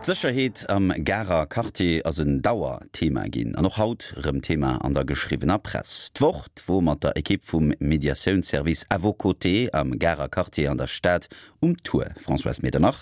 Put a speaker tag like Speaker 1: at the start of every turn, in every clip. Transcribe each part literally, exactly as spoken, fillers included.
Speaker 1: D'Sécherheet am Garer Quartier ass en Dauerthema ginn an och haut rëm Thema an der geschriwwener Press. D'Wort wor mat der Ekipp vum Mediatiounsservice À vos côtés am Garer Quartier an der Stad um Tour. Françoise Medernach.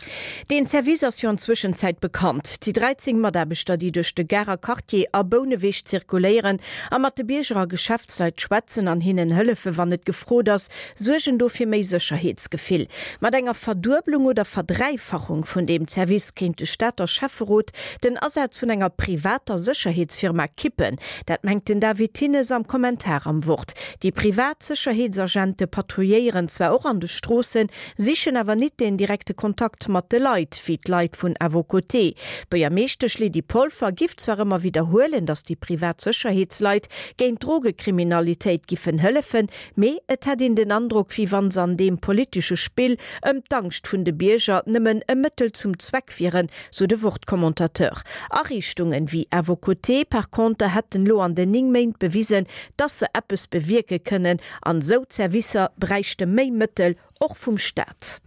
Speaker 2: Deen Service ass jo an Zwëschenzäit bekannt. Déi dräizéng Mataarbechter, déi duerch de Garer Quartier a Bouneweg zirkuléieren a mat de Bierger a Geschäftsleit schwätzen an hinnen hëllefe wann et gefrot ass, suergen do fir méi Sécherheetsgefill. Mat enger Verdueblung oder Verdräifachung vun deem Service kéint de Stater Schäfferot den Asaz vun enger privater Sécherheetsfirma kippen. Dat mengt den David Thinnes am Kommentar am Wort. Déi privat Sécherheetsagente patrouilléieren zwar och an de Stroossen, sichen awer nit den direkte Kontakt mat de Leit, wéi d'Leit vun À vos côtés. D'Buergermeeschtesch Lydie Polfer giff zwar ëmmer widderhuelen, datt déi privat Sécherheetsleit géint d'Drogekriminalitéit giffen hëllefen, mee et hätt een den Androck, wéi wann se an deem politesche Spill ëm d'Angscht vun de Bierger nëmmen e Mëttel zum Zweck wieren, sou de Wort-Commentateur. Ariichtungen wéi À vos côtés par conter hätten lo an den néng Méint bewisen, datt se eppes bewierke kënnen, an esou Servicer bräichte méi Mëttel, och vum Staat.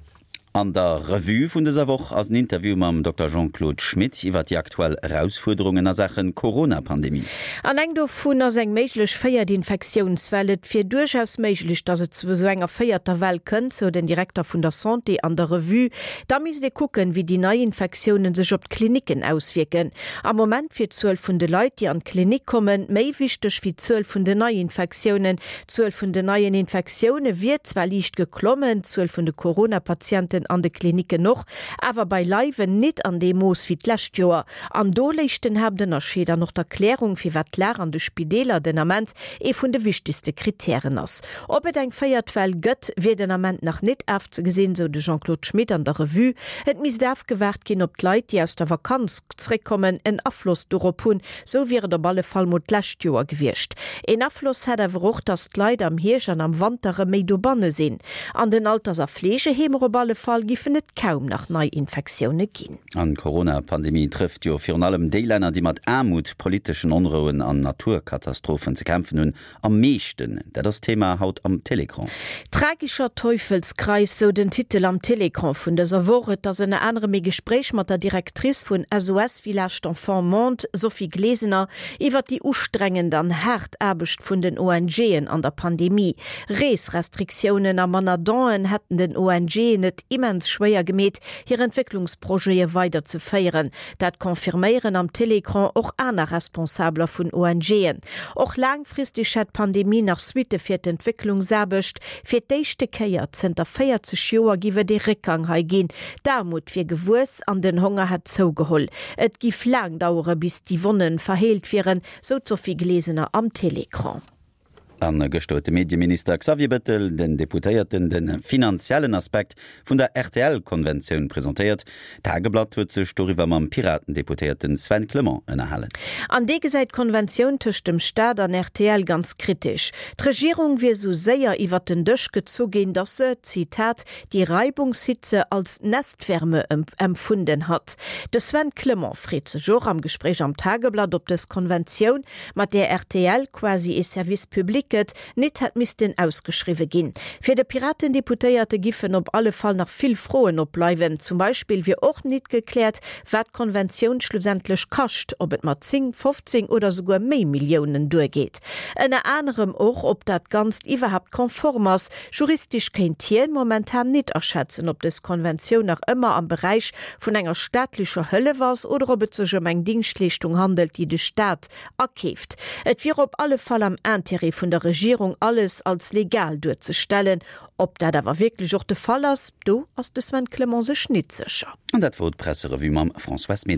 Speaker 1: An der Revue vun dëser Woch ass en Interview mam Dokter Jean-Claude Schmit iwwer déi aktuell Erausfuerderungen a Saache Corona-Pandemie.
Speaker 2: An eng dovun ass eng méiglech véiert Infektiounswell. Et wier duerchaus méiglech, datt et zu esou enger véierter Well kënnt, sou den Direkter vun der Santé an der Revue. Da misst ee kucken, wéi déi nei Infektiounen sech op d'Klinicken auswierken. Am Moment wier d'Zuel vun de Leit, déi an d'Klinik kommen, méi wichteg wéi d'Zuel vun den Neiinfektiounen. D'Zuel vun den neien Infektioune wier zwar liicht geklommen, d'Zuel vun de Corona-Patienten an de Klinicken och, awer beileiwen nit an deem Mooss wéi d'lescht Joer. An do léich den Haaptënnerscheed an och d'Erklärung, firwat d'Lag an de Spideeler den Ament ee vun de wichtegste Krittären ass. Ob et eng véiert Well gëtt, wier den Ament nach nit ofzegesinn, sou de Jean-Claude Schmit an der Revue. Et misst ofgewaart ginn, ob d'Leit, déi aus der Vakanz zréckkommen, en Afloss dorop hunn, sou wier et op alle Fall mol d'lescht Joer gewiescht. Een Afloss hätt awer och, datt d'Leit am Hierscht an am Wanter erëm méi dobanne sinn. An den Alters a Fleegeheemer op alle Fall giffen et kaum nach Neiinfektioune ginn.
Speaker 1: An d'Corona-Pandemie trëfft jo virun allem déi Länner, déi mat Aarmut, politeschen Onrouen an Naturkatastrophen ze kämpfen hunn, am meeschten. Dat ass Thema haut am Télécran.
Speaker 2: Tragischer Teufelskreis, sou den Titel am Télécran vun dëser Woch. Et ass ënner anerem e Gespréich mat der Directrice vun S O S Village d'Enfants Monde, Sophie Glesener, iwwer déi ustrengend an haart Aarbecht vun den O N G'en an der Pandemie. Reesrestriktiounen a manner Donen hätten den O N G'en et immens schwéier gemeet, hir Entwécklungsprojete weiderzeféieren. Dat confirméieren am Télécran och aner Responsabeler vun O N G'en. Och laangfristeg hätt d'Pandemie nach Suitte fir d'Entwécklungsaarbecht. Fir d'éischte Kéier zënter véierzeg Joer giff et ee Réckgang hei ginn. D'Aarmut wier gewuess an den Honger hätt zougeholl. Et giff laang dauere bis déi Wonne verheelt wieren, sou d'Sophie Glesener am Télécran.
Speaker 1: An gëschter huet de Medieminister Xavier Bettel den Deputéierten de finanziellen Aspekt vun der R T L-Konventioun presentéiert. D'Tageblatt huet sech doriwwer mam Piraten-Deputéierten Sven Clement ënnerhalen.
Speaker 2: An dee gesäit d'Konventioun tëscht dem Staat an R T L ganz kritesch. D'Regierung wier sou séier iwwer den Dësch gezu ginn, datt se, Zitat, die Reibungshitze als Nestwärme empfunden hat. De Sven Clement freet sech och am Gespréich am Tageblatt, ob dës Konventioun, mat där R T L quasi ee Service public gëtt, nit hätt missten ausgeschriwwe ginn. Fir de Piratendeputéierte giffen op alle Fall nach vill Froen opbleiwen. Zum Beispill wier och nit gekläert, wat d'Konventioun schlussendlech kascht, ob et mat zéng, fofzéng oder souguer méi Milliounen duergeet. Ënner anerem och, ob dat Ganzt iwwerhaapt konform ass. Juristesch kéint hien momentan nit aschätzen, ob dës Konventioun nach ëmmer am Beräich vun enger staatlecher Hëllef ass oder ob et sech ëm eng Dingschtleeschtung handelt, déi de Staat akeeft. Et wier op alle Fall am Intérêt vun der Regierung, alles als legal duerzestellen. Ob dat awer wierklech och de Fall ass, do ass de Sven Clement sech nit sécher.
Speaker 1: An dat wor d'Presserevue mam Françoise Medernach.